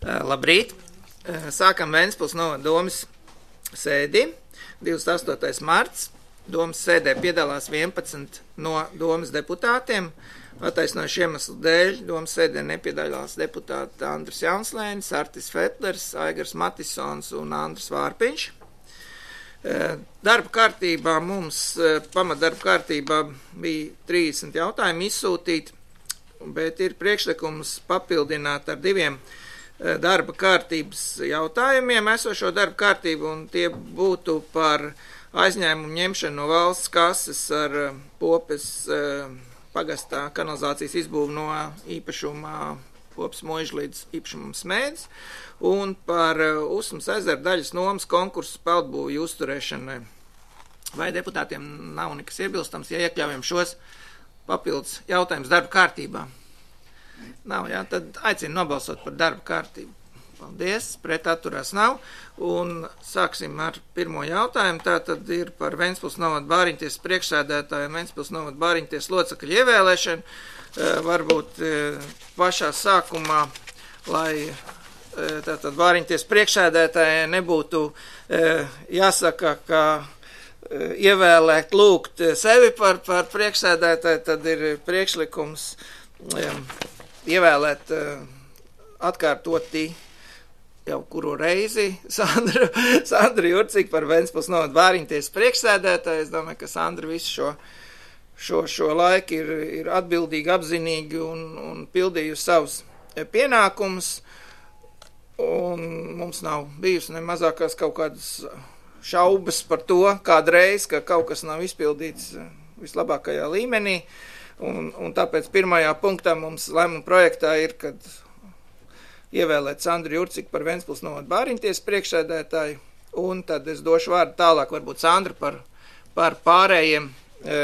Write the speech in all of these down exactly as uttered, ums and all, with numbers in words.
Labrīt! Sākam Ventspils novada domes sēdi. divdesmit astotais marts. Domes sēdē piedalās vienpadsmit no domes deputātiem. Attaisnojuši iemeslu dēļ domes sēdē nepiedalās deputāti Andris Jaunslēnis, Artis Fetlers, Aigars Matisons un Andris Vārpiņš. Darba kārtībā mums, pamatdarba kārtībā bija trīsdesmit jautājumi izsūtīti, bet ir priekšlikums papildināt ar diviem darba kārtības jautājumiem esošo darba kārtību, un tie būtu par aizņēmumu ņemšanu no valsts kases ar Popes pagastā kanalizācijas izbūvu no īpašuma Popes Muiža līdz īpašumam Smēdz, un par Usmas ezera daļas nomas konkursu peldbūvju uzturēšanai. Vai deputātiem nav nekas iebilstams, ja iekļaujam šos papildus jautājumus darba kārtībā? Nav, jā, tad aicinu nobalsot par darba kārtību. Paldies, pret atturās nav. Un sāksim ar pirmo jautājumu. Tā tad ir par Ventspils novada bāriņtiesas priekšsēdētāju un Ventspils novada bāriņtiesas locekļu ievēlēšanu. Varbūt pašā sākumā, lai tātad bāriņtiesas priekšsēdētājai nebūtu jāsaka, ka ievēlēt lūgt sevi par, par priekšsēdētāju, tad ir priekšlikums ievēlēt atkārtoti jau kuru reizi Sandru, Sandru Jurciku par Ventspils novada bāriņtiesas priekšsēdētāju. Es domāju, ka Sandra visu šo, šo, šo laiku ir, ir atbildīgi, apzinīgi un, un pildījusi savus pienākumus. Un mums nav bijusi ne mazākās kaut kādas šaubas par to kādreiz, ka kaut kas nav izpildīts vislabākajā līmenī. Un, un tāpēc pirmajā punktā mums lēmuma projektā ir, kad ievēlēt Sandru Jurciku par Ventspils novada bāriņtiesas priekšsēdētāju, un tad es došu vārdu tālāk varbūt Sandra par, par pārējiem. E,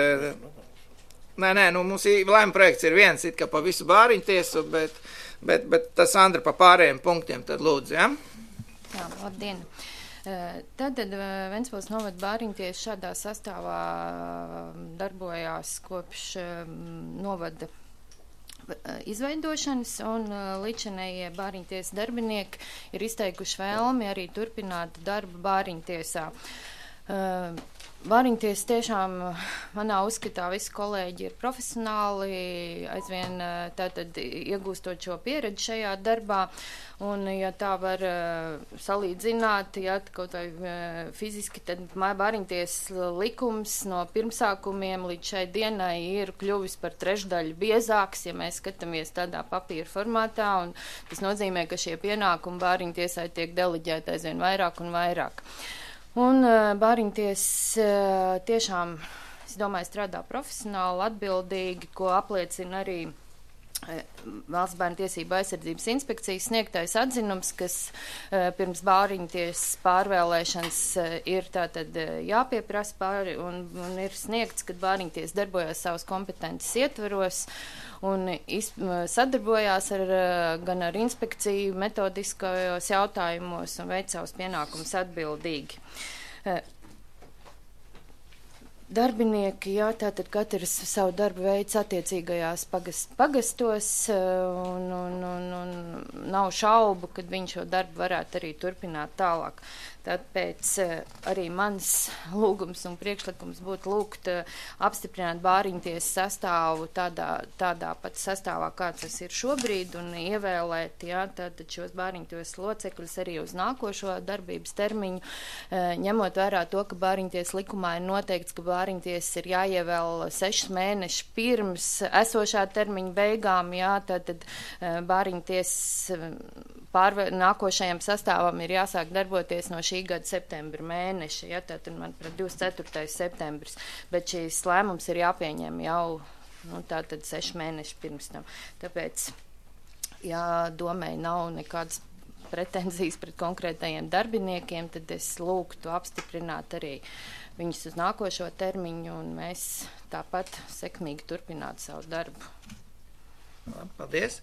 nē, nē, nu mums lēmuma projekts ir viens, it kā pa visu bāriņtiesu, bet, bet, bet tas Sandra pa pārējiem punktiem tad lūdzu, ja? Jā, labdien! Tad, tad Ventspils novada bāriņtiesa šādā sastāvā darbojās kopš novada izveidošanas, un līdzinējie bāriņtiesas darbinieki ir izteikuši vēlmi arī turpināt darbu bāriņtiesā. Bāriņtiesa tiešām manā uzskatā visi kolēģi ir profesionāli, aizvien tātad iegūstot šo pieredzi šajā darbā, un ja tā var salīdzināt, ja kaut vai fiziski, tad bāriņtiesas likums no pirmsākumiem līdz šai dienai ir kļuvis par trešdaļu biezāks, ja mēs skatāmies tādā papīra formātā, un tas nozīmē, ka šie pienākumi bāriņtiesai tiek deleģēti aizvien vairāk un vairāk. Un bāriņtiesa tiešām, es domāju, strādā profesionāli, atbildīgi, ko apliecina arī Valsts bērnu tiesību aizsardzības inspekcijas sniegtais atzinums, kas pirms bāriņtiesas pārvēlēšanas ir tātad jāpieprasa pāri un, un ir sniegts, kad bāriņtiesa darbojās savas kompetences ietvaros un iz, sadarbojās ar, gan ar inspekciju metodiskajos jautājumos un veic savus pienākumus atbildīgi. Darbinieki, jā, tātad katrs savu darbu veids attiecīgajās pagast, pagastos, un, un, un, un nav šaubu, kad viņš šo darbu varētu arī turpināt tālāk. Tāpēc arī mans lūgums un priekšlikums būtu lūgt apstiprināt bāriņtiesas sastāvu tādā, tādā pat sastāvā, kāds tas ir šobrīd, un ievēlēt, jā, tātad šos bāriņtiesas locekļus arī uz nākošo darbības termiņu, ņemot vērā to, ka bāriņtiesas likumā ir noteikts, ka bāriņtiesas ir jāievēl sešus mēnešus pirms esošā termiņa beigām, jā, tātad bāriņtiesas pārvē, nākošajam sastāvam ir jāsāk darboties no šī gada septembra mēneša, ja, tātad man par divdesmit ceturtais septembris, bet šīs lēmums ir jāpieņem jau, nu, tātad seši mēneši pirms tam. Tāpēc, ja domai nav nekādas pretenzijas pret konkrētajiem darbiniekiem, tad es lūgtu apstiprināt arī viņus uz nākošo termiņu, un mēs tāpat sekmīgi turpinātu savu darbu. Paldies.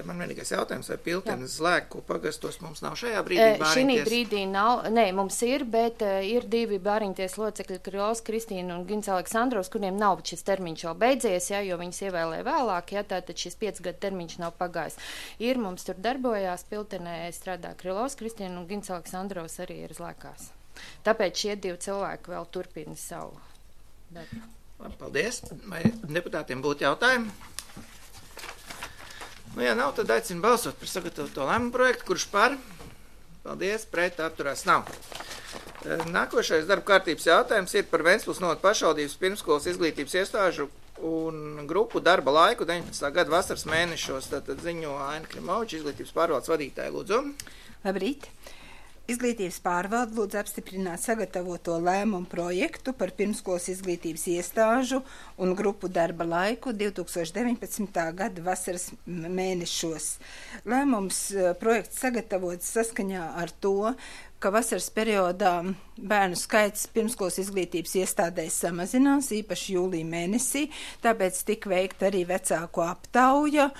Man vienīgais jautājums, vai Piltenes Zlēku pagastos mums nav šajā brīdī bāriņties? Šī brīdī nav, nē, mums ir, bet uh, ir divi bāriņties locekļi, Krilovs Kristīna un Gins Aleksandrovs, kuriem nav šis termiņš jau beidzies, ja, jo viņas ievēlēja vēlāk, ja, tātad šis piec gadu termiņš nav pagājis. Ir, mums tur darbojās Piltenē, strādā Krilovs Kristīna un Gins Aleksandrovs arī ir Zlēkās. Tāpēc šie divi cilvēki vēl turpina savu darbu. Paldies. Vai deputātiem būtu jautājumi? Nu, ja nav, tad aicinu balsot par sagatavoto lēmumu projektu, kurš par. Paldies, pret atturās nav. Nākošais darba kārtības jautājums ir par Ventspils novada pašvaldības pirmskolas izglītības iestāžu un grupu darba laiku deviņpadsmitā gada vasaras mēnešos. Tātad ziņo Aina Klimoviča, izglītības pārvaldes vadītāja. Lūdzu. Labrīt. Izglītības pārvalde lūdz apstiprināt sagatavoto lēmumu projektu par pirmskolas izglītības iestāžu un grupu darba laiku divs tūkstoši deviņpadsmitā gada vasaras mēnešos. Lēmums projekts sagatavots saskaņā ar to, ka vasaras periodā bērnu skaits pirmskolas izglītības iestādēs samazinās, īpaši jūlija mēnesī, tāpēc tika veikta arī vecāku aptauja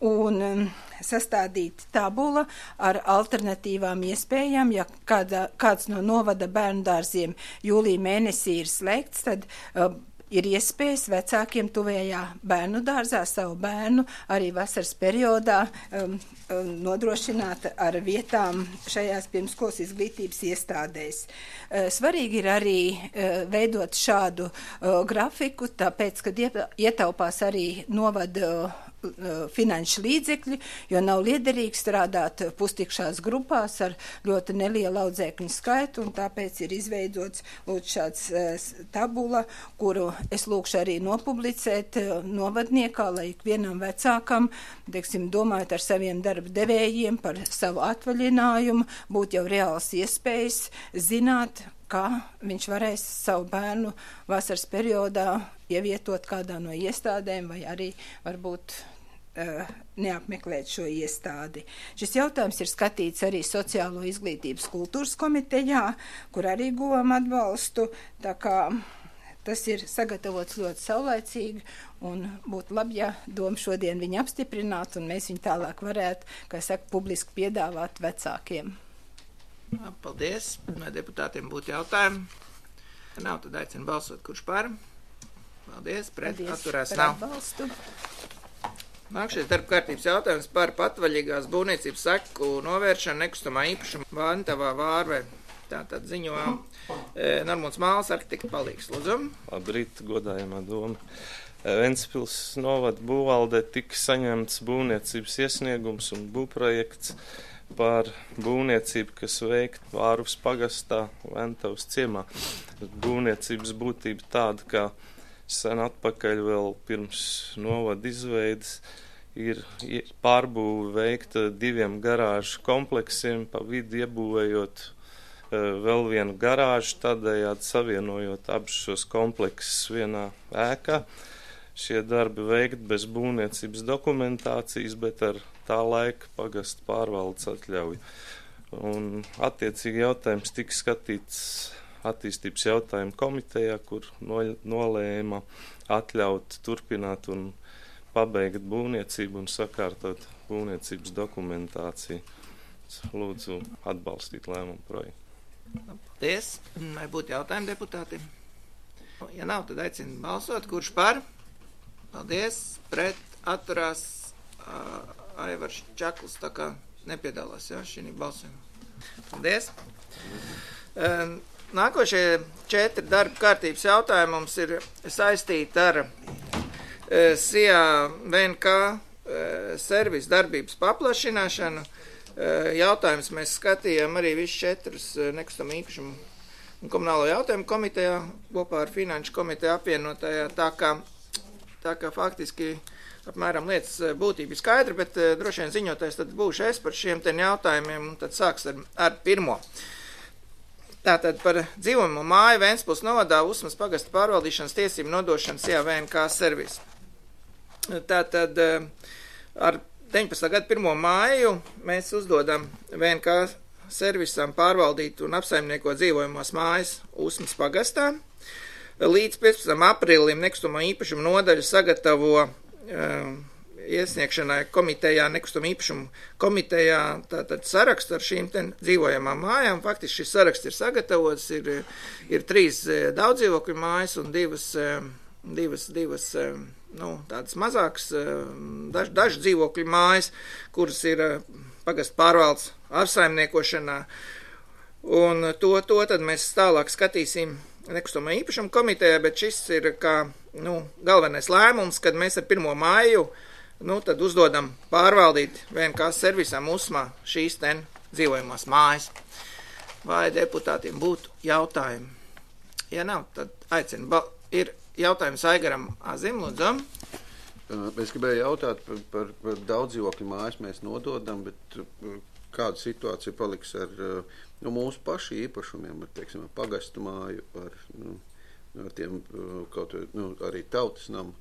un um, sastādīt tabula ar alternatīvām iespējām. Ja kāda, kāds no novada bērnu dārziem jūlija mēnesī ir slēgts, tad uh, ir iespējas vecākiem tuvējā bērnu dārzā savu bērnu arī vasaras periodā um, um, nodrošināt ar vietām šajās pirmskolas izglītības iestādēs. Uh, svarīgi ir arī uh, veidot šādu uh, grafiku, tāpēc, kad ietaupās arī novada uh, finanšu līdzekļi, jo nav liederīgi strādāt pustikšās grupās ar ļoti nelielu audzēkņu skaitu, un tāpēc ir izveidots lūdzu šāds uh, tabula, kuru es lūkšu arī nopublicēt uh, novadniekā, lai ikvienam vecākam, teiksim, domājot ar saviem darba devējiem par savu atvaļinājumu, būtu jau reāls iespējas zināt, kā viņš varēs savu bērnu vasaras periodā ievietot kādā no iestādēm vai arī varbūt uh, neapmeklēt šo iestādi. Šis jautājums ir skatīts arī Sociālo izglītības kultūras komitejā, kur arī guvām atbalstu, tā kā tas ir sagatavots ļoti saulaicīgi un būtu labi, ja doma šodien viņu apstiprinātu un mēs viņu tālāk varētu, kā saka, publiski piedāvāt vecākiem. Paldies. Vai deputātiem būtu jautājumi? Ja nav, tad aicinu balsot, kurš par. Paldies. Pret Paldies atturās par nav. Atbalstu. Nākšies darba kārtības jautājums par patvaļīgās būvniecības seku novēršanu nekustamā īpašuma Vantavā Vārvē. Tātad ziņo e, Normons Māls, arhitekta palīgs. Lūdzu. Labrīt, godājamā doma. Ventspils novada būvvaldē tika saņemts būvniecības iesniegums un būvprojekts par būvniecību, kas veikta Vārvas pagastā Ventavas ciemā. Būvniecības būtība tāda, ka sen atpakaļ vēl pirms novada izveidas ir pārbūve veikta diviem garāžu kompleksiem, pa vidu iebūvējot vēl vienu garāžu, tādējādi savienojot abus šos kompleksus vienā ēkā. Šie darbi veikti bez būvniecības dokumentācijas, bet ar tā laika pagasta pārvaldes atļauju. Un attiecīgi jautājums tika skatīts attīstības jautājumu komitejā, kur nolēma atļaut turpināt un pabeigt būvniecību un sakārtot būvniecības dokumentāciju. Lūdzu atbalstīt lēmumu projektu. Paldies. Vai būtu jautājumi deputātiem? Ja nav, tad aicinu balsot, kurš par. Paldies. Pret atturās uh, Aivars Čakls, tā kā nepiedalās, jā, šī balsojumā. Paldies. Uh, nākošie četri darba kārtības jautājumi mums ir saistīti ar uh, S I A V N K uh, servis darbības paplašināšanu. Uh, jautājums mēs skatījām arī visus četrus uh, nekustamā īpašumu un komunālo jautājumu komitejā, kopā ar finanšu komiteju apvienotajā, tā kā Tā kā faktiski apmēram lietas būtība skaidra, bet uh, droši vien ziņotājs tad būšu es par šiem ten jautājumiem, un tad sāks ar, ar pirmo. Tātad par dzīvojamo māju Ventspils novadā Usmas pagasta pārvaldīšanas tiesību nodošanu S I A V N K servisu. Tātad uh, ar deviņpadsmitā gada pirmo māju mēs uzdodam V N K servisam pārvaldīt un apsaimniekot dzīvojamās mājas Usmas pagastā. Līdz piecpadsmitam aprīlim nekustamā īpašuma nodaļa sagatavo uh, iesniegšanai komitejā, nekustamā īpašuma komitejā, tātad sarakstu ar šīm ten dzīvojamām mājām. Faktiski šis saraksts ir sagatavots, ir, ir trīs daudzdzīvokļu mājas un divas, divas, divas nu, tādas mazākas, daž, daži dzīvokļu mājas, kuras ir pagastu pārvaldes apsaimniekošanā. Un to, to tad mēs tālāk skatīsim nekustamā īpašuma komitejā, bet šis ir kā nu, galvenais lēmums, kad mēs ar pirmo māju nu, tad uzdodam pārvaldīt V N K servisam USMā šīs ten dzīvojamās mājas. Vai deputātiem būtu jautājumi? Ja nav, tad aicinu. Ba- ir jautājums Aigaram Azim, lūdzu. Es gribēju jautāt par, par, par daudzdzīvokļu mājas mēs nododam, bet kāda situācija paliks ar nu, mūsu pašu īpašumiem, ar, teiksim, ar pagastu māju, ar, nu, ar tiem kaut nu, arī tautas namu?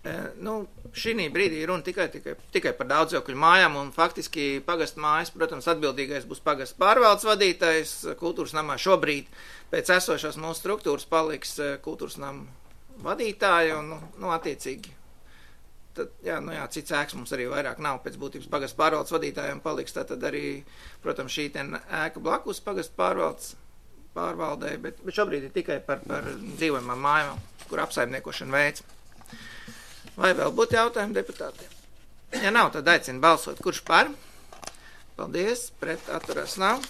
E, nu, šī brīdī runa tikai, tikai, tikai par daudzdzīvokļu mājām, un faktiski pagastu mājas, protams, atbildīgais būs pagastu pārvaldes vadītājs. Kultūras namā šobrīd pēc esošās mūsu struktūras paliks kultūras namu vadītāja, un, nu, nu attiecīgi. Tad, jā, nu jā, cits ēks mums arī vairāk nav, pēc būtības pagastu pārvaldes vadītājiem paliks, tad arī, protams, šī ten ēka blakus pagastu pārvaldes pārvaldē, bet, bet šobrīd ir tikai par, par dzīvojamām mājām, kur apsaimniekošana veids. Vai vēl būtu jautājumi deputātiem? Ja nav, tad aicinu balsot. Kurš par? Paldies, pret atturās nav.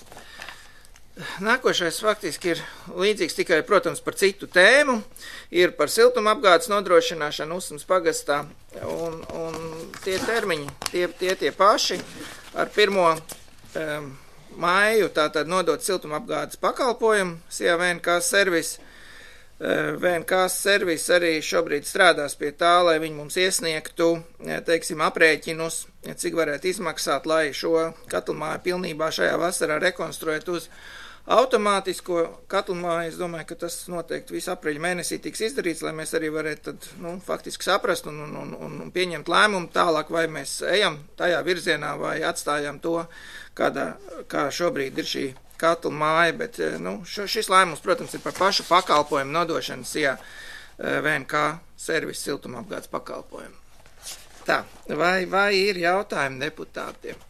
Nākošais faktiski ir līdzīgs tikai, protams, par citu tēmu, ir par siltuma apgādes nodrošināšanu Usmas pagastā, un, un tie termiņi, tie, tie tie paši, ar pirmo um, māju tātad nodot siltuma apgādes pakalpojumu, S I A V N K servis, uh, V N K servis arī šobrīd strādās pie tā, lai viņi mums iesniegtu, teiksim, aprēķinus, cik varētu izmaksāt, lai šo katlmāju pilnībā šajā vasarā rekonstruēt uz automātisko katlmāju. Es domāju, ka tas noteikti visu aprīļa mēnesī tiks izdarīts, lai mēs arī varētu tad, nu, faktiski saprast un, un, un, un pieņemt lēmumu tālāk, vai mēs ejam tajā virzienā vai atstājam to, kādā, kā šobrīd ir šī katlmāja, bet nu, šo, šis lēmums, protams, ir par pašu pakalpojumu nodošanu S I A V N K servis siltumapgādes pakalpojumu. Tā, vai, vai ir jautājumi deputātiem?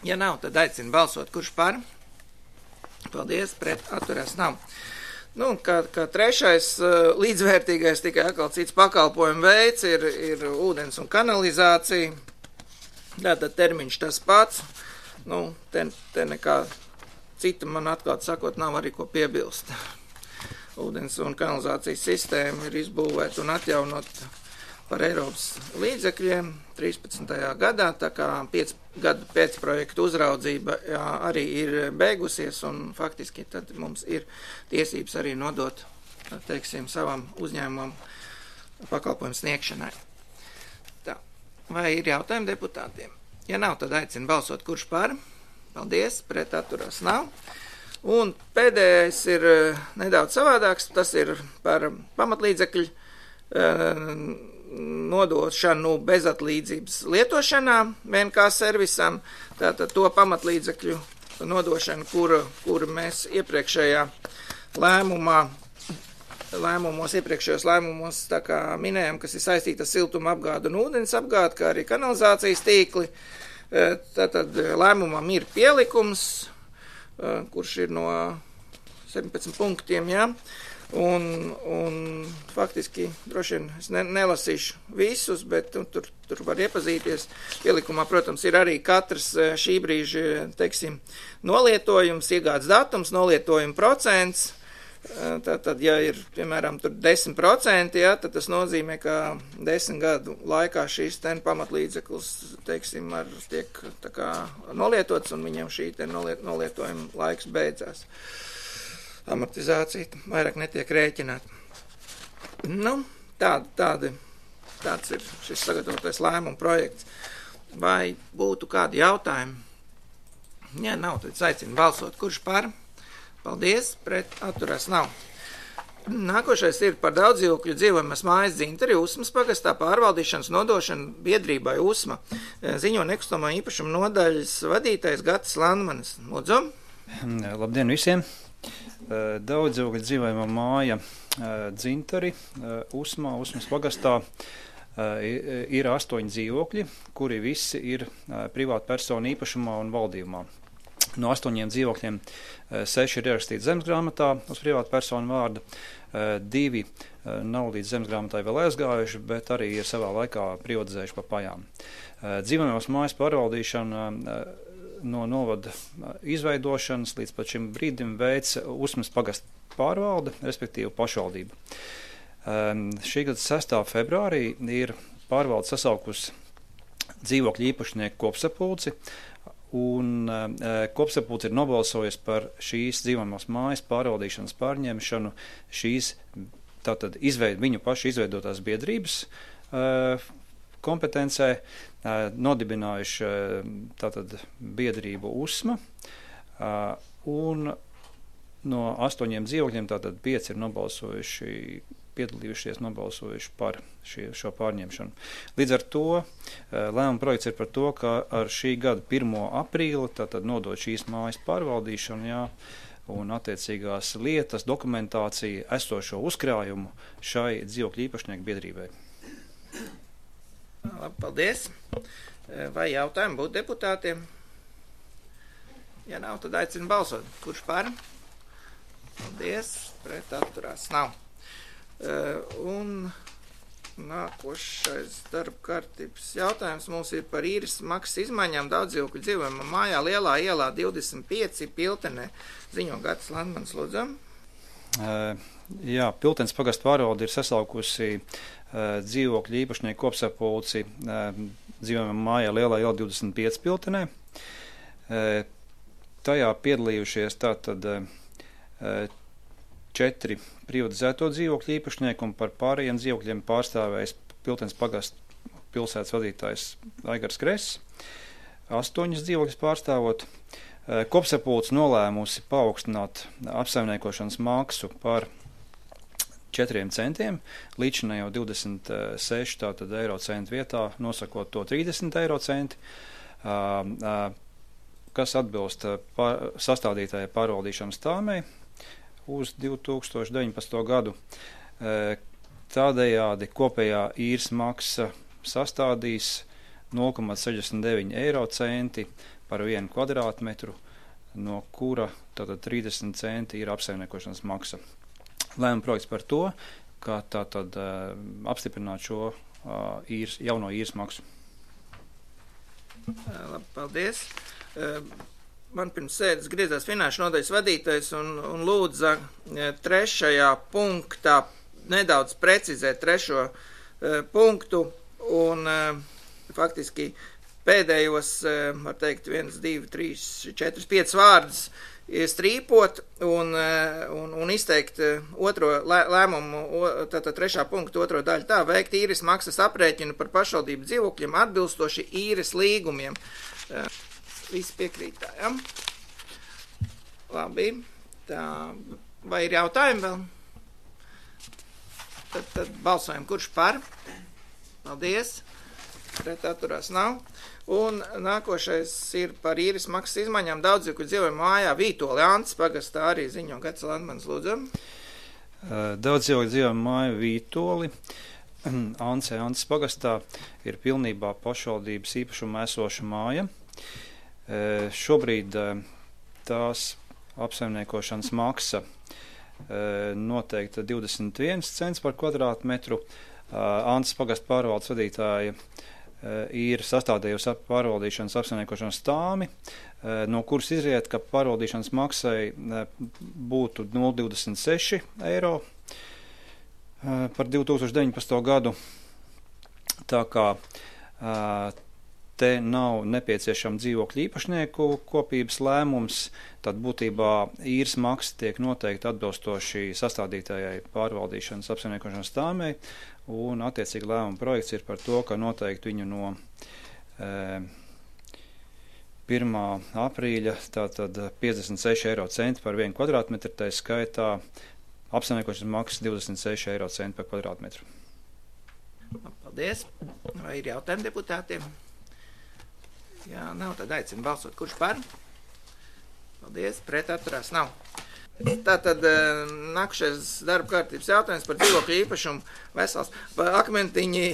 Ja nav, tad aicinu balsot, kurš par? Paldies, pret atturās nav. Nu, kā, kā trešais līdzvērtīgais, tikai atkal cits pakalpojumu veids ir, ir ūdens un kanalizācija. Tātad termiņš tas pats. Nu, te, te nekā cita man atklāt sakot nav arī ko piebilst. Ūdens un kanalizācijas sistēma ir izbūvēta un atjaunot par Eiropas līdzekļiem trīspadsmitajā gadā, tā kā piec gadu pēc projektu uzraudzība jā, arī ir beigusies, un faktiski tad mums ir tiesības arī nodot, teiksim, savam uzņēmumam pakalpojumu sniegšanai. Tā. Vai ir jautājumi deputātiem? Ja nav, tad aicinu balsot, kurš par. Paldies, pret atturās nav. Un pēdējais ir nedaudz savādāks, tas ir par pamatlīdzekļu nodošanu bezatlīdzības lietošanā V N K servisam, tātad to pamatlīdzekļu nodošanu, kuru, kuru mēs iepriekšējā lēmumā, lēmumos, iepriekšējos lēmumos, tā kā minējam, kas ir saistīta ar siltuma apgādu un ūdens apgādu, kā arī kanalizācijas tīkli. Tātad lēmumam ir pielikums, kurš ir no septiņpadsmit punktiem, jā. Un, un faktiski droši vien es ne, nelasīšu visus, bet nu, tur, tur var iepazīties. Pielikumā, protams, ir arī katrs šī brīža, teiksim, nolietojums, iegādes datums, nolietojuma procents. Tātad, ja ir, piemēram, tur desmit procenti, ja, tad tas nozīmē, ka desmit gadu laikā šīs ten pamatlīdzeklis, teiksim, ar, tiek tā kā nolietots, un viņam šī ten noliet, nolietojuma laiks beidzās. Amortizācija vairāk netiek rēķināta. Nu, tāda, tāda, tāds ir šis sagatavotais lēmuma projekts. Vai būtu kādi jautājumi? Ja nav, tad aicinu balsot. Kurš par? Paldies, pret atturās nav. Nākošais ir par daudzdzīvokļu dzīvojamas mājas Dzintari Usmas pagastā pārvaldīšanas nodošanu biedrībai Usma. Ziņo nekustamā īpašuma nodaļas vadītājs Gatis Landmanis. Lūdzu. Labdien visiem! Daudzdzīvokļu dzīvojamā māja Dzintari Usmā, Usmas pagastā ir astoņi dzīvokļi, kuri visi ir privāta persona īpašumā un valdījumā. No astoņiem dzīvokļiem seši ir ierakstīti zemesgrāmatā uz privāta persona vārda, divi nav līdz zemesgrāmatai vēl aizgājuši, bet arī ir savā laikā privatizējuši pa pajām. Dzīvojamās mājas pārvaldīšana no novada izveidošanas līdz pat šim brīdim veic Usmas pagasta pārvalde, respektīvi pašvaldība. Šī gada sestā februārī ir pārvalde sasaukusi dzīvokļu īpašnieku kopsapulci, un kopsapulci ir nobalsojusi par šīs dzīvojamās mājas pārvaldīšanas pārņemšanu šīs tātad izveid, viņu pašu izveidotās biedrības kompetencē, nodibinājuši tātad biedrību Usma, un no astoņiem dzīvokļiem tātad pieci ir nobalsojuši, piedalījušies, nobalsojuši par šī, šo pārņemšanu. Līdz ar to lēmuma projekts ir par to, ka ar šī gada pirmo aprīli tātad nodot šīs mājas pārvaldīšanu, jā, un attiecīgās lietas, dokumentācija, esošo uzkrājumu šai dzīvokļu īpašnieku biedrībai. Labi, paldies. Vai jautājumi būtu deputātiem? Ja nav, tad aicinu balsot. Kurš par? Paldies. Pret atturās nav. Un nākošais darba kārtības jautājums mums ir par īres maksas izmaiņām daudzdzīvokļu dzīvojamā mājā Lielā ielā divdesmit pieci Piltenē. Ziņo Gatis Landmans, lūdzu. Jā, Piltenes pagasta pārvalde ir sasaukusi dzīvokļu īpašnieku kopsapulci dzīvojamā mājā Lielā ielā divdesmit pieci Piltenē. Tajā piedalījušies tātad četri privatizēto dzīvokļu īpašnieki, un par pārējiem dzīvokļiem pārstāvējis Piltenes pagasta pilsētas vadītājs Aigars Kress, astoņas dzīvokļus pārstāvot. Kopsapulce nolēmusi paaugstināt apsaimniekošanas maksu par četriem centiem, līdzinājā jau divdesmit seši tātad eiro centu vietā, nosakot to trīsdesmit eiro centi, kas atbilst pār, sastādītājai pārvaldīšanas tāmei uz divi tūkstoši deviņpadsmito gadu. Tādējādi kopējā īres maksa sastādīs nulle komats sešdesmit deviņi eiro centi par vienu kvadrātmetru, no kura tātad trīsdesmit centi ir apsaimniekošanas maksa. Lēmuma projekts par to, ka tātad uh, apstiprināt šo uh, īres, jauno īres maksu. Labi, paldies. Uh, Man pirms sēdes griezās finanšu nodaļas vadītājs un, un lūdza trešajā punktā nedaudz precizēt trešo uh, punktu un uh, faktiski pēdējos, uh, var teikt, viens, divi, trīs, četri, pieci vārdus strīpot un, uh, un, un izteikt uh, otro lē, lēmumu, tātad trešā punktu otro daļu tā, veikt īres maksas aprēķinu par pašvaldību dzīvokļiem atbilstoši īres līgumiem. Uh, Visi piekrītājam. Labi. Tā, vai ir jautājumi vēl? Tad, tad balsojam, kurš par? Paldies. Pret atturās nav. Un nākošais ir par īres maksas izmaiņām daudzdzīvokļu dzīvojamā mājā Vītoli Antas pagastā arī ziņo Gatis Landmans, lūdzu. Daudzdzīvokļu dzīvojamā māja Vītoli Ance Antas pagastā ir pilnībā pašvaldības īpašumā esoša māja. Šobrīd tās apsaimniekošanas maksa noteikta divdesmit viens cents par kvadrātmetru. Antas pagasta pārvaldes vadītāja ir sastādījusi pārvaldīšanas apsaimniekošanas tāmi, no kuras izriet, ka pārvaldīšanas maksai būtu nulle komats divdesmit seši eiro par divi tūkstoši deviņpadsmito gadu. Tā kā te nav nepieciešama dzīvokļu īpašnieku kopības lēmums, tad būtībā īres maksa tiek noteikti atbilstoši sastādītājai pārvaldīšanas apsaimniekošanas tāmei, un attiecīgi lēmuma projekts ir par to, ka noteikti viņu no e, pirmā aprīļa tātad piecdesmit seši eiro centi par vienu kvadrātmetru, tā skaitā apsaimniekošanas maksas divdesmit seši eiro centi par kvadrātmetru. Paldies. Vai ir jautājumi deputātiem? Jā, nav, tad aicinu balsot. Kurš par? Paldies, pret atturās nav. Tātad nākušais darba kārtības jautājums par dzīvokļu īpašumu vesels. Akmentiņi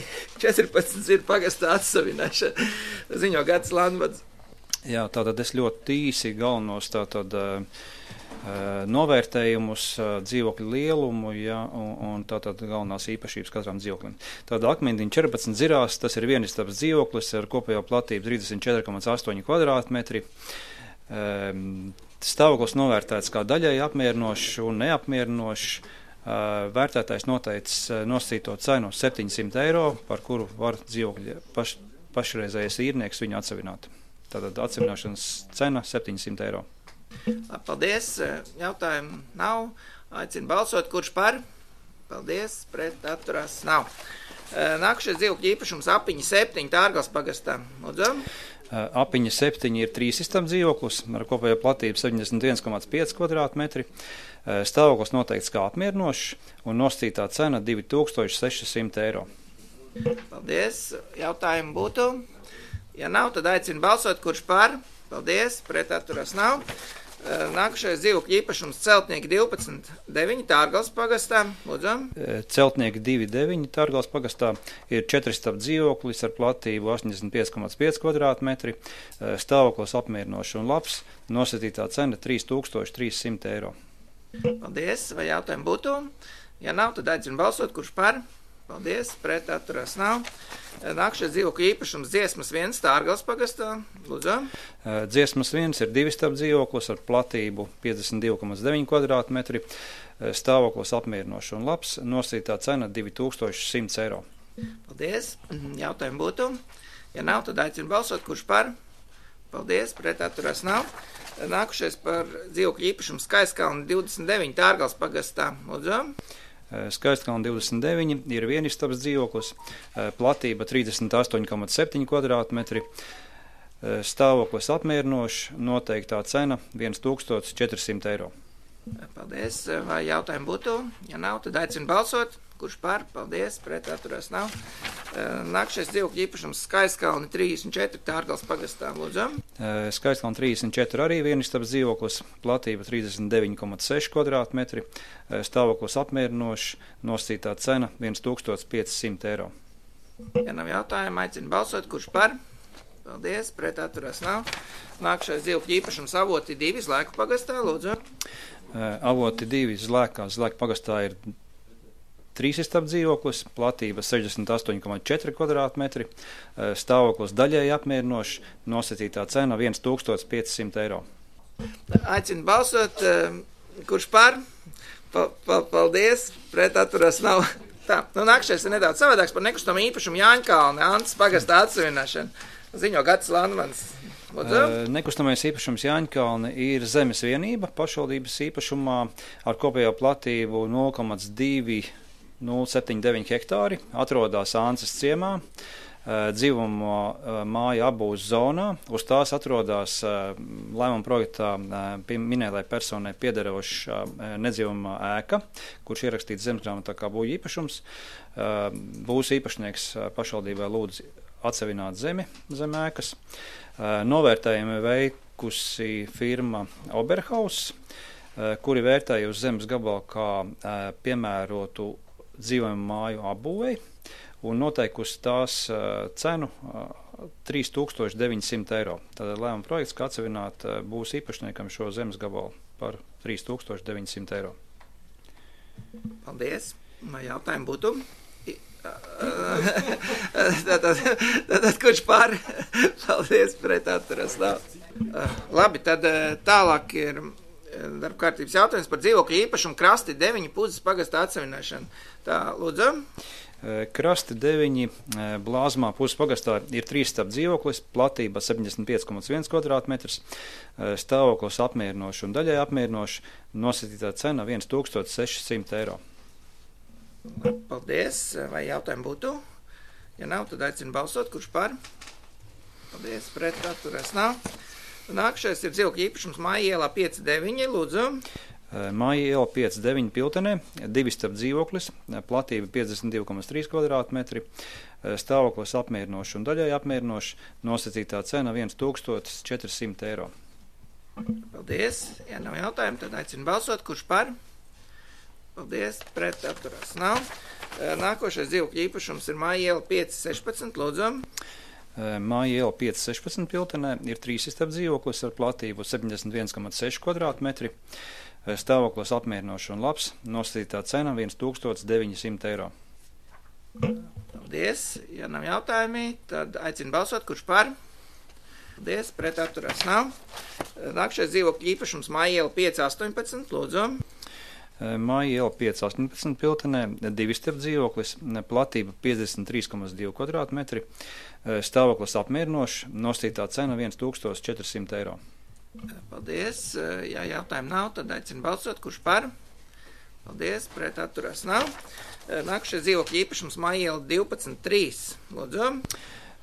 četrpadsmit ir pagastā atsavināšana, ziņo Gatis Landvads. Jā, tātad es ļoti īsi galvenos tātad novērtējumus, dzīvokļu lielumu, ja, un, un tātad galvenās īpašības katram dzīvoklim. Tātad akmentiņi četrpadsmit zirās, tas ir vienistabas dzīvoklis ar kopējo platību trīsdesmit četri komats astoņi kvadrātmetri. Stāvoklis novērtēts kā daļai apmierinošs un neapmierinošs. Vērtētājs noteicis nosacīto cenu septiņsimt eiro, par kuru var dzīvokļa paš, pašreizējais īrnieks viņu atsevināt. Tātad atsevināšanas cena septiņsimt eiro. Paldies. Jautājumu nav. Aicinu balsot, kurš par? Paldies. Pret atturās nav. Nākušies dzīvokļu īpašums Apiņa septiņi Tārgals pagastā. Lūdzu. Apiņa septiņi ir trīsistabas dzīvoklis ar kopējo platību septiņdesmit viens komats pieci kvadrātmetri. Stāvoklis noteikts kā apmierinošs un nosacītā cena divi tūkstoši seši simti eiro. Paldies. Jautājumu būtu? Ja nav, tad aicinu balsot, kurš par? Paldies. Pret atturās nav. Nākušais dzīvokļu īpašums Celtnieki divpadsmit deviņi Tārgals pagastā. Lūdzu. Celtnieki divi deviņi Tārgals pagastā ir četristabas dzīvoklis ar platību astoņdesmit pieci komats pieci kvadrātmetri. Stāvoklis apmierinošs un labs. Nosacītā cena trīs tūkstoši trīs simti eiro. Paldies. Vai jautājumu būtu? Ja nav, tad aicinu balsot, kurš par? Paldies. Pret atturās nav. Nākušais dzīvokļu īpašums Dziesmas viens Tārgals pagastā. Lūdzu. Dziesmas viens ir divistabas dzīvoklis ar platību piecdesmit divi komats deviņi kvadrātmetri. Stāvoklis apmierinošs un labs. Nosacītā cena divi tūkstoši simts eiro. Paldies. Jautājumu būtu? Ja nav, tad aicinu balsot, kurš par? Paldies. Pret atturās nav. Nākušais par dzīvokļu īpašumu Skaistkalna divdesmit deviņi Tārgals pagastā. Lūdzu. Skaistkalna divdesmit deviņi ir vienistabas dzīvoklis, platība trīsdesmit astoņi komats septiņi kvadrātmetri, stāvoklis apmierinošs, noteiktā cena viens tūkstotis četri simti eiro. Paldies. Vai jautājumu būtu? Ja nav, tad aicinu balsot. Kurš par? Paldies. Pret atturās nav. Nākšais dzīvokļu īpašums Skaistkalna trīsdesmit četri Tārgals pagastā. Lūdzu. Skaistkalna trīsdesmit četri arī vienistabas dzīvoklis, platība trīsdesmit deviņi komats seši kvadrātmetri, stāvoklis apmierinošs, nosacītā cena viens tūkstotis pieci simti eiro. Ja nav jautājumu, aicinu balsot. Kurš par? Paldies. Pret atturās nav. Nākšais dzīvokļu īpašums Avoti divi Zlēku pagastā. Lūdzu. Avoti divi Zlēkā, Zlēku pagastā ir trīsistabas dzīvoklis, platība sešdesmit astoņi komats četri kvadrātmetri, stāvoklis daļēji apmierinošs, nosacītā cena viens tūkstotis pieci simti eiro. Aicinu balsot, kurš par? Pa, pa, paldies, pret atturās nav. Tā, nu nākšais ir nedaudz savādāks par nekustamo īpašumu Jāņkalne, Antas pagastā atsevināšanu. Ziņo Gatis Landmans. Uh, nekustamais īpašums Jāņkalne ir zemes vienība pašvaldības īpašumā ar kopējo platību nulle komats divi nulle septiņi deviņi hektāri, atrodas Ances ciemā, dzīvuma māja apbūves zonā. Uz tās atrodas lēmuma projektā minētai personai piederoša nedzīvuma ēka, kurš ierakstīts zemesgrāmatā kā būvju īpašums. Būs īpašnieks pašvaldībai lūdz atsevināt zemi zem ēkas. Novērtējumi veikusi firma Oberhaus, kuri vērtēja uz zemes gabalu kā piemērotu dzīvojumu māju apbūvei un noteikusi tās uh, cenu uh, trīs tūkstoši deviņi simti eiro. Tātad lēmuma projekts, kā atsevināt uh, būs īpašniekam šo zemes gabalu par trīs tūkstoši deviņi simti eiro. Paldies. Vai jautājumu būtu? Tātad, tātad kurš par? Paldies, pret atturas nav. Labi, tad tālāk ir darba kārtības jautājums par dzīvokļu īpašumu Krasti deviņi Puzes pagastā atsevināšanu. Tā, lūdzu. Krasti deviņi Blāzmā Puzes pagastā ir trīsistabas dzīvoklis, platība septiņdesmit pieci komats viens kvadrātmetrs, stāvoklis apmierinošs un daļai apmierinošs, nosacītā cena viens tūkstotis seši simti eiro. Paldies. Vai jautājumu būtu? Ja nav, tad aicinu balsot. Kurš par? Paldies. Pret atturēs nav. Nākšais ir dzīvokļu īpašums Māja ielā pieci deviņi, lūdzu. Māja iela pieci deviņi Piltenē, divistabas dzīvoklis, platība piecdesmit divi komats trīs kvadrātmetri, stāvoklis apmierinošs un daļai apmierinošs, nosacītā cena viens tūkstotis četri simti eiro. Paldies. Ja nav jautājumu, tad aicinu balsot. Kurš par? Paldies. Pret atturās nav. Nākošais dzīvokļu īpašums ir Māja iela pieci sešpadsmit. Lūdzu. Māja iela pieci sešpadsmit Piltenē ir trīs istabas dzīvoklis ar platību septiņdesmit viens komats seši kvadrātmetri. Stāvoklis apmierinošs un labs. Nostītā cena viens tūkstotis deviņi simti eiro. Paldies. Ja nav jautājumi, tad aicinu balsot. Kurš par? Paldies. Pret atturās nav. Nākošais dzīvokļu īpašums Māja iela pieci astoņpadsmit. Lūdzu. Māja iela pieci astoņpadsmit Piltenē, divi istabas dzīvoklis, platība piecdesmit trīs komats divi kvadrātmetri, stāvoklis apmierinošs, nostītā cena viens tūkstotis četri simti eiro. Paldies. Ja jautājumu nav, tad aicinu balsot. Kurš par? Paldies. Pret atturās nav. Nākošais dzīvokļu īpašums Māja iela divpadsmit trīs. Lūdzu.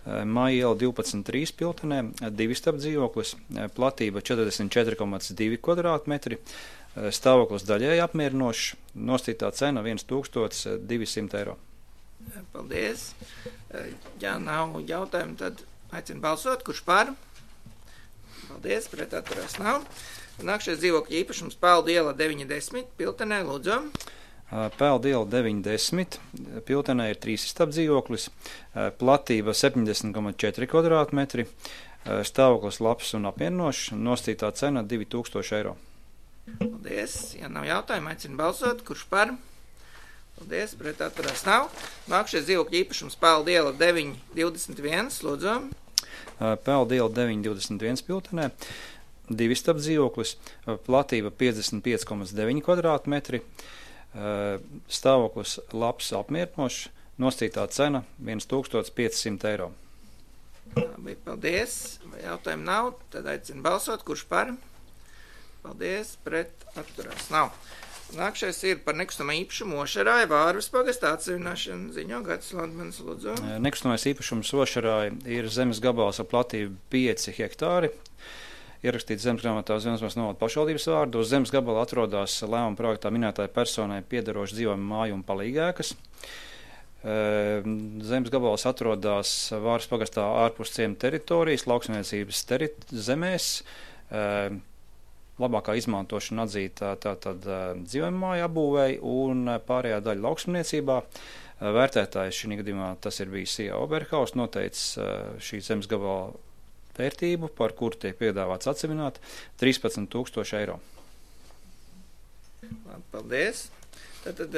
Māja iela divpadsmit trīs Piltenē, divi istabas dzīvoklis, platība četrdesmit četri komats divi kvadrātmetri, stāvoklis daļēji apmierinošs, nostītā cena viens tūkstotis divi simti eiro. Paldies. Ja nav jautājumu, tad aicinu balsot. Kurš par? Paldies. Pret atturās nav. Nākšais dzīvokļu īpašums Peldu iela deviņdesmit. Piltenē, lūdzu. Peldu iela deviņdesmit. Piltenē ir trīs istabas dzīvoklis, platība septiņdesmit komats četri kvadrātmetri, stāvoklis labs un apmierinošs, nostītā cena divi tūkstoši eiro. Paldies. Ja nav jautājumu, aicinu balsot. Kurš par? Paldies. Pret atturās nav. Nākšais dzīvokļu īpašums Peldu iela deviņi divdesmit viens. Lūdzu. Peldu iela deviņi divdesmit viens Piltenē. Divi istabas dzīvoklis, platība piecdesmit pieci komats deviņi kvadrātmetri, stāvoklis labs apmierinošs, nostītā cena viens tūkstotis pieci simti eiro. Labi, paldies. Vai jautājumu nav, tad aicinu balsot. Kurš par? Paldies. Pret atturās nav. Nākšais ir par nekustamā īpašumu Ošarāja Vārvas pagastā atsevišķināšanu. Ziņo Gatis Landmanis, lūdzu. Nekustamais īpašums Ošarāja ir zemes gabals ar platību pieci hektāri. Ierakstīts zemes grāmatā Zemesmās novada pašvaldības vārdu. Uz zemes gabala atrodas lēmuma projektā minētāja personai piederoša dzīvojuma māju un palīgēkas. Zemes gabals atrodas Vārvas pagastā ārpus ciema teritorijas, lauksaimniecības teri zemēs. Labākā izmantošana atzīta tātad dzīvojuma māju apbūvēji un pārējā daļa lauksaimniecībā. Vērtētājs šī gadījumā tas ir bijis I A Oberhaus, noteicis šī zemes gabala vērtību, par kuru tiek piedāvāts atsevināt trīspadsmit tūkstoši eiro. Paldies. Tātad,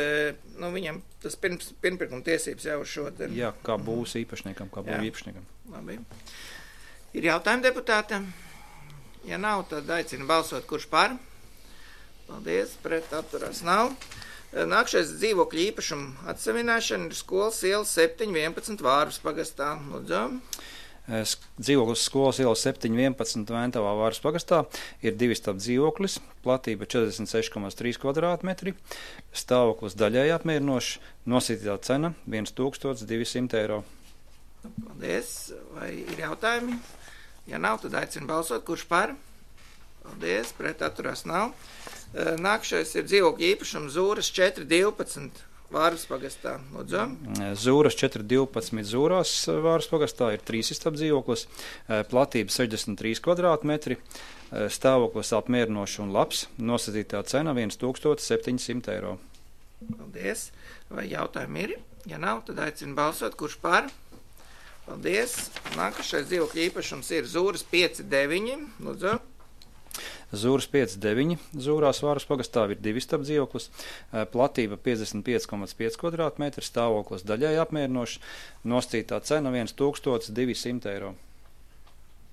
nu, viņam tas pirms, pirmpirkuma tiesības jau uz šo te... Jā, kā būs īpašniekam, kā būs īpašniekam. Labi. Ir jautājumi deputātam? Ja nav, tad aicinu balsot. Kurš par? Paldies. Pret atturās nav. Nākšais dzīvokļu īpašumu atsevināšana ir skolas iela septiņi vienpadsmit Vārvas pagastā. Lūdzu. Dzīvoklis skolas iela septiņi vienpadsmit Ventavā Vārvas pagastā ir divi istabas dzīvoklis, platība četrdesmit seši komats trīs kvadrātmetri, stāvoklis daļēji apmierinošs, nosītītā cena viens tūkstotis divi simti eiro. Paldies. Vai ir jautājumi? Ja nav, tad aicinu balsot. Kurš par? Paldies. Pret atturās nav. Nākšais ir dzīvokļu īpašums Zūras četri divpadsmit Vārvas pagastā. Lūdzu. Zūras četri divpadsmit Zūrās Vārvas pagastā ir trīs istabas dzīvoklis, platība sešdesmit trīs kvadrātmetri, stāvoklis apmierinošs un labs, nosacītā cena viens tūkstotis septiņi simti eiro. Paldies. Vai jautājumi ir? Ja nav, tad aicinu balsot. Kurš par? Paldies. Nākošais dzīvokļu īpašums ir Zūras pieci deviņi. Lūdzu. Zūras pieci deviņi Zūrās Vārvas pagastā ir divi istabas dzīvoklis, platība piecdesmit pieci komats pieci kvadrātmetri, stāvoklis daļēji apmierinošs, nostītā cena viens tūkstotis divi simti eiro.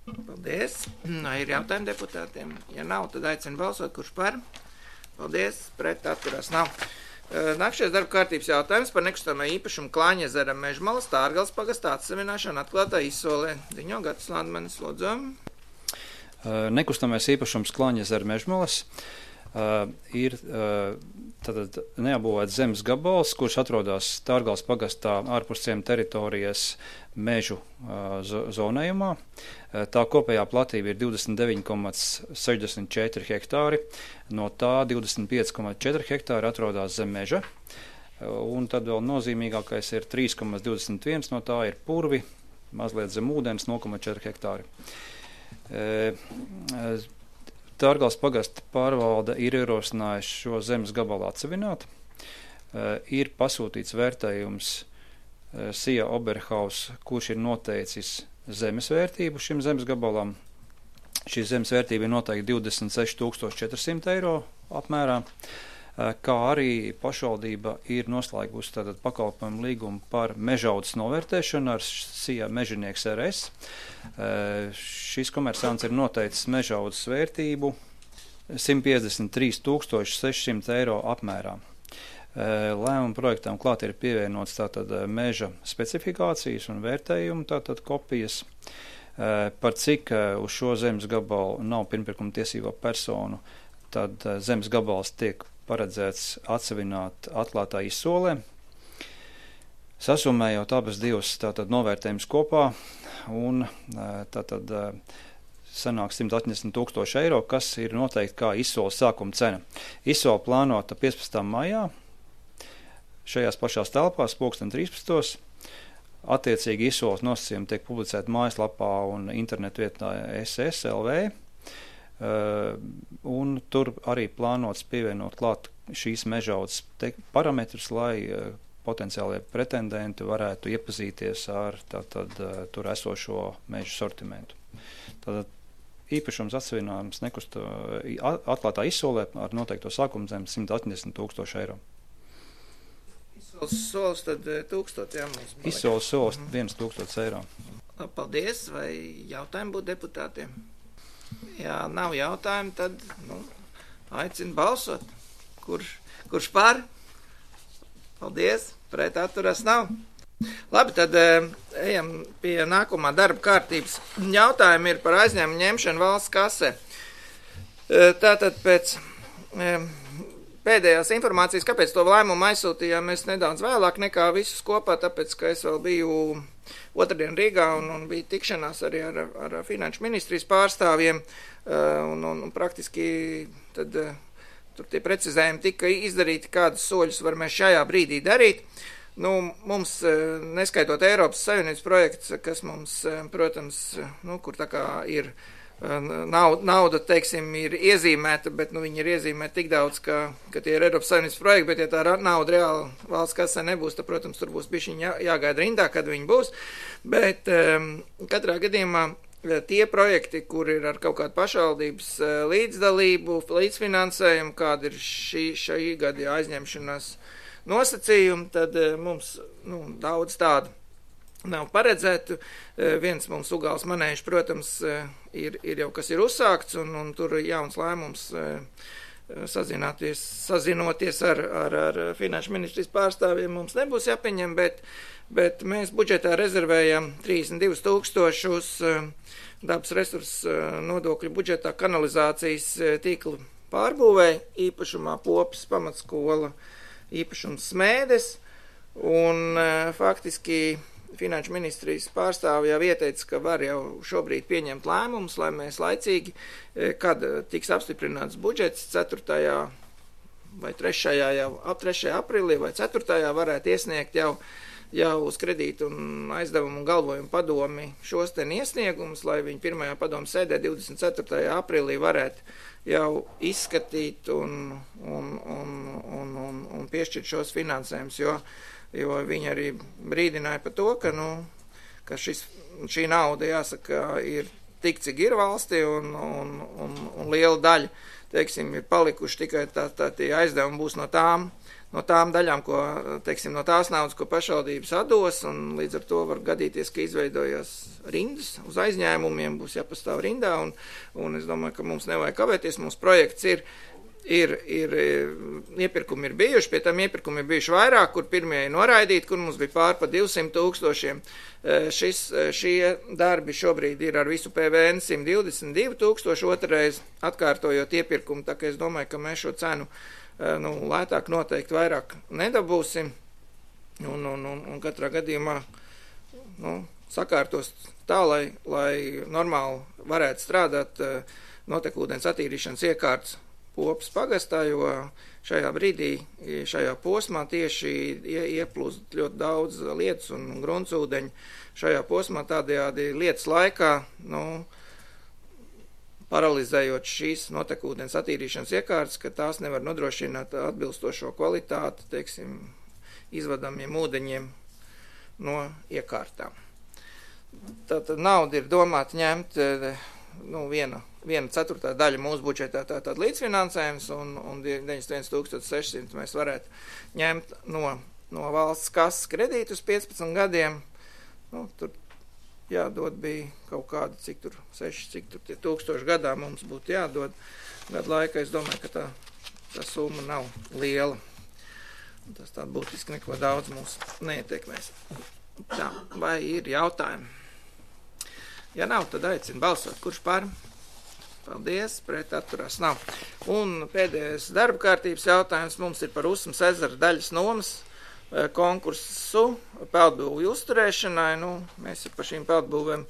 Paldies. Ir jautājumi deputātiem? Ja nav, tad aicinu balsot. Kurš par? Paldies. Pret atturās nav. Nākšais darba kārtības jautājums par nekustamā īpašumu Klāņezera Mežmalas Tārgales pagastā atsevināšanu atklātā izsolē. Ziņo Gatis Landmanis, lūdzu. Nekustamais īpašums Klāņezera Mežmalas uh, ir uh, tātad neapbūvēts zemes gabals, kurš atrodas Tārgales pagastā ārpus ciema teritorijas mežu uh, zonējumā. Uh, tā kopējā platība ir divdesmit deviņi komats sešdesmit četri hektāri, no tā divdesmit pieci komats četri hektāri atrodas zem meža, uh, un tad vēl nozīmīgākais ir trīs komats divdesmit viens, no tā ir purvi, mazliet zem ūdens nulle komats četri hektāri. Tārgals pagasta pārvalde ir ierosinājuši šo zemes gabalu atsevināt. Ir pasūtīts vērtējums Sija Oberhaus, kurš ir noteicis zemes vērtību šim zemes gabalam. Šī zemes vērtība ir noteikti divdesmit seši tūkstoši četri simti eiro apmērā, kā arī pašvaldība ir noslēgusi tātad pakalpojumu līgumu par mežaudzes novērtēšanu ar Sija Mežinieks R S. Šis komersants ir noteicis mežaudzes vērtību simt piecdesmit trīs tūkstoši seši simti eiro apmērā. Lēmuma projektam klāt ir pievienots tātad meža specifikācijas un vērtējumu tātad kopijas, par cik uz šo zemes gabalu nav pirmpirkuma tiesīgo personu, tad zemes gabals tiek paredzēts atsevināt atklātā izsolē. Sasummējot abas divas tātad novērtējums kopā un tātad sanāk simt astoņdesmit tūkstoši eiro, kas ir noteikti kā izsoles sākuma cena. Izsole plānota piecpadsmitā maijā. Šajās pašās telpās pulksten trīspadsmitos. Attiecīgi izsoles nosacījumi tiek publicēti mājaslapā un internetu vietnā S S L V. Uh, un tur arī plānots pievienot klāt šīs mežaudzes parametrus, lai uh, potenciālie pretendenti varētu iepazīties ar tātad uh, tur esošo mežu sortimentu. Tātad īpašums atsevinājums nekusta atklātā izsolē ar noteikto sākuma zemi simt astoņdesmit tūkstoši eiro. Solis tad tūkstot, jā, mums palika. Izsoles solis viens tūkstots eiro. Paldies, vai jautājumi būtu deputātiem? Ja nav jautājumu, tad, nu, aicinu balsot. Kurš, kurš par? Paldies, pret atturas nav. Labi, tad ejam pie nākamā darba kārtības. Jautājumi ir par aizņēmumu ņemšanu valsts kasē. Tātad pēc pēdējās informācijas, kāpēc to lēmumu aizsūtījām mēs nedaudz vēlāk nekā visus kopā, tāpēc, ka es vēl biju otrdien Rīgā un, un bija tikšanās arī ar, ar finanšu ministrijas pārstāvjiem, un, un, un praktiski tad tur tie precizējumi tika izdarīti, kādus soļus var mēs šajā brīdī darīt. Nu, mums, neskaitot Eiropas Savienības projekts, kas mums, protams, nu, kur tā kā ir Nauda, nauda, teiksim, ir iezīmēta, bet nu, viņi ir iezīmēta tik daudz, ka, ka tie ir Eiropas Savienības projekti, bet ja tā nauda reāli valsts kasē nebūs, tad, protams, tur būs bišķiņ jā, jāgaida rindā, kad viņi būs. Bet um, katrā gadījumā tie projekti, kur ir ar kaut kādu pašvaldības līdzdalību, līdzfinansējumu, kāda ir šī, šī gada aizņemšanās nosacījumi, tad mums nu, daudz tādu nav paredzētu. Viens mums Ugāls manēžs, protams, ir, ir jau kas ir uzsākts, un, un tur jauns lēmums sazināties, sazinoties ar, ar, ar finanšu ministrijas pārstāvjiem mums nebūs jāpieņem, bet, bet mēs budžetā rezervējam trīsdesmit divus tūkstošus dabas resursu nodokļu budžetā kanalizācijas tīklu pārbūvēja, īpašumā Popes pamatskola, īpašums Smēdes, un faktiski finanšu ministrijas pārstāvi jau ieteica, ka var jau šobrīd pieņemt lēmumus, lai mēs laicīgi, kad tiks apstiprināts budžets ceturtajā vai trešajā jau ap trešajā aprīlī vai ceturtajā varētu iesniegt jau, jau uz kredītu un aizdevumu un galvojumu padomi šos ten iesniegumus, lai viņi pirmajā padomu sēdē divdesmit ceturtajā aprīlī varētu jau izskatīt un, un, un, un, un, un piešķirt šos finansējumus, jo jo viņi arī brīdināja par to, ka, nu, ka šis, šī nauda, jāsaka, ir tik, cik ir valstī, un, un, un, un liela daļa, teiksim, ir palikuši tikai tā, tā tie aizdevumi būs no tām, no tām daļām, ko, teiksim, no tās naudas, ko pašvaldības atdos, un līdz ar to var gadīties, ka izveidojas rindas uz aizņēmumiem, būs jāpastāv rindā, un, un es domāju, ka mums nevajag kavēties, mums projekts ir, Ir, ir, iepirkumi ir bijuši, pie tam iepirkumi ir bijuši vairāk, kur pirmie ir noraidīti, kur mums bija pār pa divsimt tūkstošiem. Šis, šie darbi šobrīd ir ar visu P V N simt divdesmit divi tūkstoši, otrreiz atkārtojot iepirkumu, tā ka es domāju, ka mēs šo cenu nu, lētāk noteikti vairāk nedabūsim, un, un, un, un katrā gadījumā nu, sakārtos tā, lai, lai normāli varētu strādāt notekūdens attīrīšanas iekārtas Popes pagastā, jo šajā brīdī, šajā posmā tieši ieplūst ļoti daudz lietas un gruntsūdeņu. Šajā posmā tādējādi lietas laikā, nu, paralizējot šīs notekūdens attīrīšanas iekārtas, ka tās nevar nodrošināt atbilstošo kvalitāti, teiksim, izvadamiem ūdeņiem no iekārtām. Tātad nauda ir domāta ņemt, nu, viena, viena ceturtā daļa mūsu budžetā tātad līdzfinansējums, un, un deviņdesmit viens tūkstoši seši simti mēs varētu ņemt no, no valsts kases kredītu uz piecpadsmit gadiem. Nu, tur jādod bija kaut kāda, cik tur, seši, cik tur tie tūkstoši gadā mums būtu jādod. Gadu laika, es domāju, ka tā, tā summa nav liela. Tas tā būtiski neko daudz mūs neietekmēs. Tā, vai ir jautājumi? Ja nav, tad aicinu balsot. Kurš par? Paldies, pret atturās nav. Un pēdējais darba kārtības jautājums mums ir par Usmas ezera daļas nomas konkursu peldbūvju uzturēšanai. Nu, mēs par šīm peldbūvēm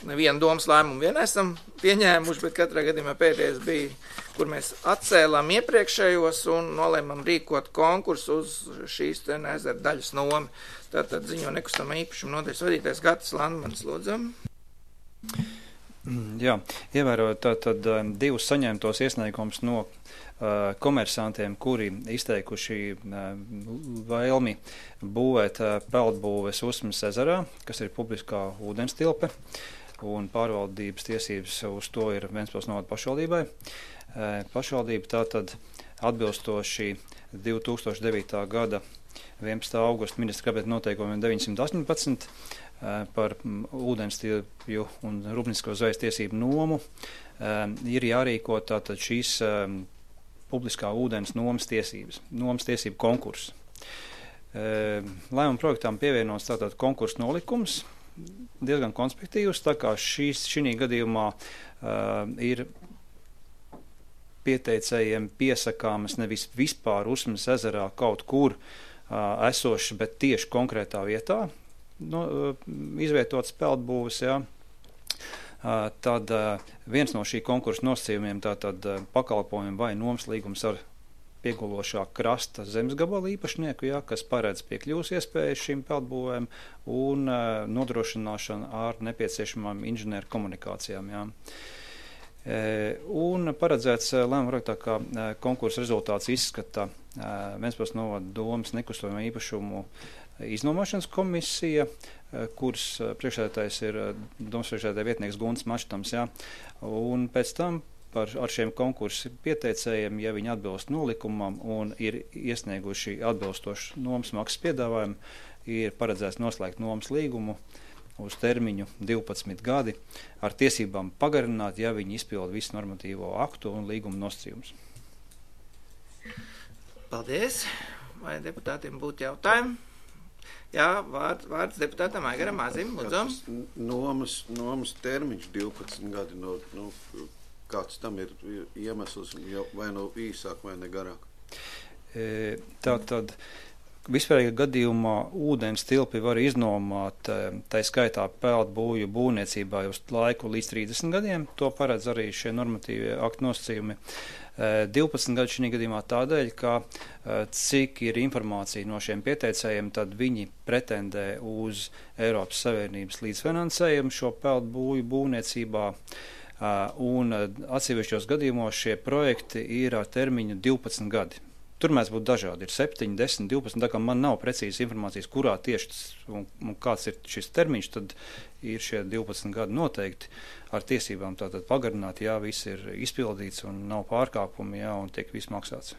nevienu domas lēmumu vien esam pieņēmuši, bet katrā gadījumā pēdējais bija, kur mēs atcēlām iepriekšējos un nolēmām rīkot konkursu uz šīs te ezera daļas nomi. Tātad ziņo nekustamā īpašuma nodaļas vadītājs Gatis Landmanis, lūdzu. Jā, ievērojot tātad divus saņemtos iesniegumus no uh, komersantiem, kuri izteikuši uh, vēlmi būvēt uh, peldbūves Usmas ezerā, kas ir publiskā ūdenstilpe, un pārvaldības tiesības uz to ir Ventspils novada pašvaldībai. Uh, pašvaldība tātad atbilstoši divi tūkstoši devītā gada vienpadsmitā augusta ministra kabineta noteikumiem deviņsimt astoņpadsmit par ūdenstilpju un rūpniecisko zvejas tiesību nomu ir jārīko tātad šīs publiskā ūdens nomas tiesības, nomas tiesību konkurss. Lēmuma projektām pievienots tātad konkursu nolikums, diezgan konspektīvs, tā kā šīs šī gadījumā ir pieteicējiem piesakāmas nevis vispār Usmas ezerā kaut kur esošas, bet tieši konkrētā vietā, no, izvietotas peldbūves, jā. Tad viens no šī konkursa nosacījumiem tātad pakalpojumi vai nomas līgums ar piegulošā krasta zemes gabalu īpašnieku, jā, kas paredz piekļuvas iespējas šīm peldbūvēm un nodrošināšanu ar nepieciešamām inženieru komunikācijām, jā. Un paredzēts lēmuma projektā, ka konkursa rezultāts izskata Ventspils novada domas nekustamā īpašumu iznomāšanas komisija, kuras priekšsēdētājs ir domas priekšsēdētāja vietnieks Gunts Maštams, jā. Un pēc tam par, ar šiem konkursu pieteicējiem, ja viņi atbilst nolikumam un ir iesnieguši atbilstošu nomas maksas piedāvājumu, ir paredzēts noslēgt nomas līgumu uz termiņu divpadsmit gadi ar tiesībām pagarināt, ja viņi izpilda visu normatīvo aktu un līguma nosacījumus. Paldies. Vai deputātiem būtu jautājumi? Jā, vārds, vārds deputātam Aigaram Mazim, lūdzu. Nomas, nomas termiņš divpadsmit gadi, no, no, kāds tam ir iemesls, vai no īsāk, vai ne garāk? E, tā tad vispārīgā gadījumā ūdens tilpi var iznomāt, tā skaitā peldbūvju būvniecībā uz laiku līdz trīsdesmit gadiem. To paredz arī šie normatīvie aktu nosacījumi. divpadsmit gadi šī gadījumā tādēļ, ka cik ir informācija no šiem pieteicējiem, tad viņi pretendē uz Eiropas Savienības līdzfinansējumu šo peldbūvju būvniecībā. Un atsevišķos gadījumos šie projekti ir ar termiņu divpadsmit gadi. Tur mēs būtu dažādi, ir septiņi, desmit, divpadsmit, tā kā man nav precīzas informācijas, kurā tieši un, un kāds ir šis termiņš, tad ir šie divpadsmit gadi noteikti ar tiesībām tātad pagarināt, jā, viss ir izpildīts un nav pārkāpumi, jā, un tiek viss maksāts.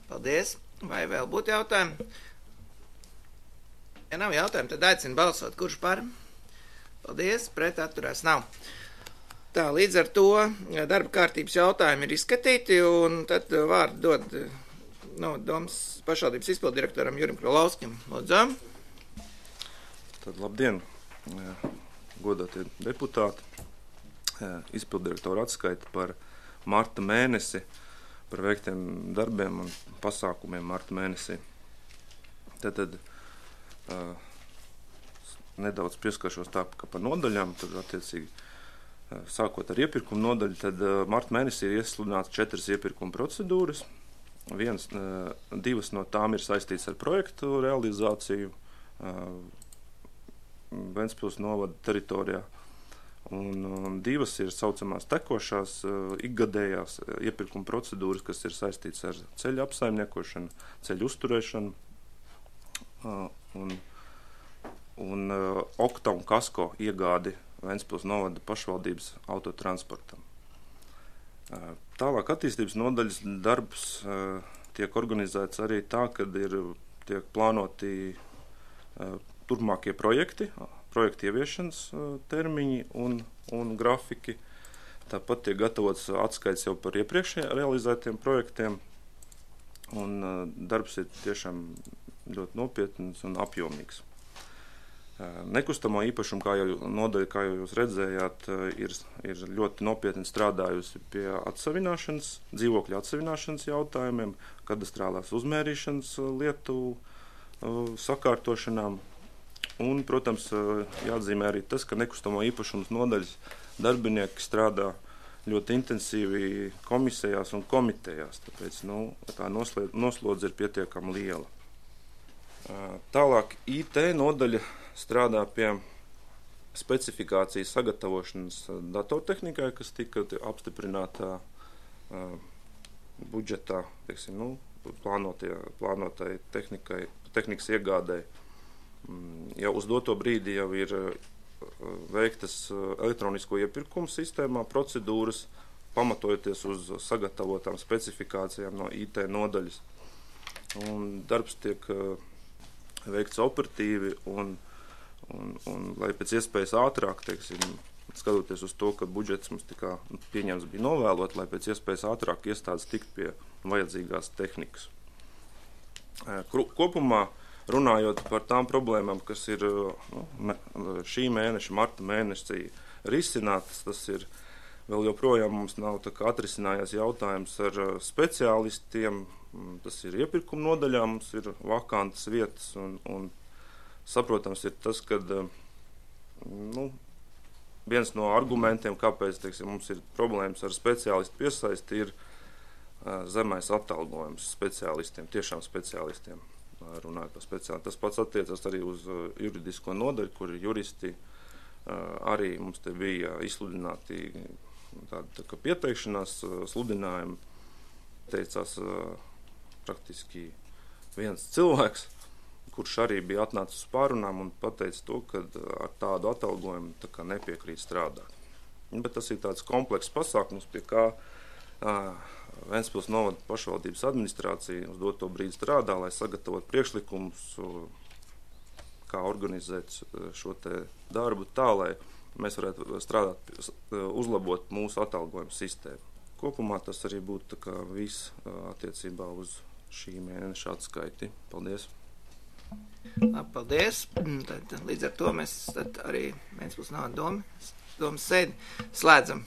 Paldies. Vai vēl būtu jautājumi? Ja nav jautājumi, tad aicinu balsot. Kurš par? Paldies. Pret atturās nav. Tā, līdz ar to darba kārtības jautājumi ir izskatīti, un tad vārdu dod no domas pašvaldības izpildirektoram Jurim Krolovskim. Lūdzu. Tad labdien, godātie deputāti. Izpildirektora atskaita par marta mēnesi, par veiktiem darbiem un pasākumiem marta mēnesī. Tad, tad uh, nedaudz pieskaršos tā, ka par nodaļām, tad attiecīgi uh, sākot ar iepirkumu nodaļu, tad uh, marta mēnesī ir iesludināts četras iepirkuma procedūras. Viens, uh, divas no tām ir saistīts ar projektu realizāciju uh, Ventspils novada teritorijā. Un, un divas ir saucamās tekošās, uh, ikgadējās uh, iepirkuma procedūras, kas ir saistīts ar ceļu apsaimniekošanu, ceļu uzturēšanu uh, un, un uh, okta un kasko iegādi Ventspils novada pašvaldības autotransportam. Uh, tālāk attīstības nodaļas darbs uh, tiek organizēts arī tā, kad ir tiek plānoti uh, turpmākie projekti, projektu ieviešanas termiņi un, un grafiki. Tāpat tiek gatavots atskaits jau par iepriekšējā realizētiem projektiem. Un uh, darbs ir tiešām ļoti nopietns un apjomīgs. Uh, nekustamo īpašumu, kā jau nodaļa, kā jau jūs redzējāt, uh, ir, ir ļoti nopietni strādājusi pie atsavināšanas, dzīvokļu atsavināšanas jautājumiem, kadastrālās uzmērīšanas lietu uh, sakārtošanām. Un, protams, jāatzīmē arī tas, ka nekustamo īpašumus nodaļas darbinieki strādā ļoti intensīvi komisijās un komitejās, tāpēc nu, tā noslodze ir pietiekami liela. Tālāk I T nodaļa strādā pie specifikācijas sagatavošanas datortehnikai, kas tika apstiprinātā budžetā, teiksim, nu, plānotai tehnikai, tehnikas iegādai. Jau uz doto brīdi jau ir veiktas elektronisko iepirkumu sistēmā procedūras, pamatojoties uz sagatavotām specifikācijām no I T nodaļas. Un darbs tiek veikts operatīvi un, un, un lai pēc iespējas ātrāk, teiksim, skatoties uz to, ka budžets mums tikā pieņems bija novēlot, lai pēc iespējas ātrāk iestādes tikt pie vajadzīgās tehnikas. Kopumā runājot par tām problēmām, kas ir nu, šī mēneša, marta mēnesī risinātas, tas ir vēl joprojām mums nav tā kā atrisinājās jautājums ar speciālistiem, tas ir iepirkuma nodaļā, mums ir vakantas vietas un, un saprotams ir tas, ka nu, viens no argumentiem, kāpēc, teiksim, mums ir problēmas ar speciālistu piesaisti, ir zemais atalgojums speciālistiem, tiešām speciālistiem. Runājot par speciāli. Tas pats attiecas arī uz juridisko nodaļu, kur juristi arī mums te bija izsludināti tāda tā kā pieteikšanās sludinājumi. Teicās praktiski viens cilvēks, kurš arī bija atnācis uz pārunām un pateica to, ka ar tādu atalgojumu tā kā nepiekrīt strādāt. Bet tas ir tāds komplekss pasākums, pie kā Ventspils novada pašvaldības administrācija uz doto brīdi strādā, lai sagatavot priekšlikumus, kā organizēt šo te darbu tā, lai mēs varētu strādāt, uzlabot mūsu atalgojumu sistēmu. Kopumā tas arī būtu tā kā viss attiecībā uz šī mēneša atskaiti. Paldies! Paldies! Tad, līdz ar to mēs tad arī Ventspils novada domas sēdi slēdzam.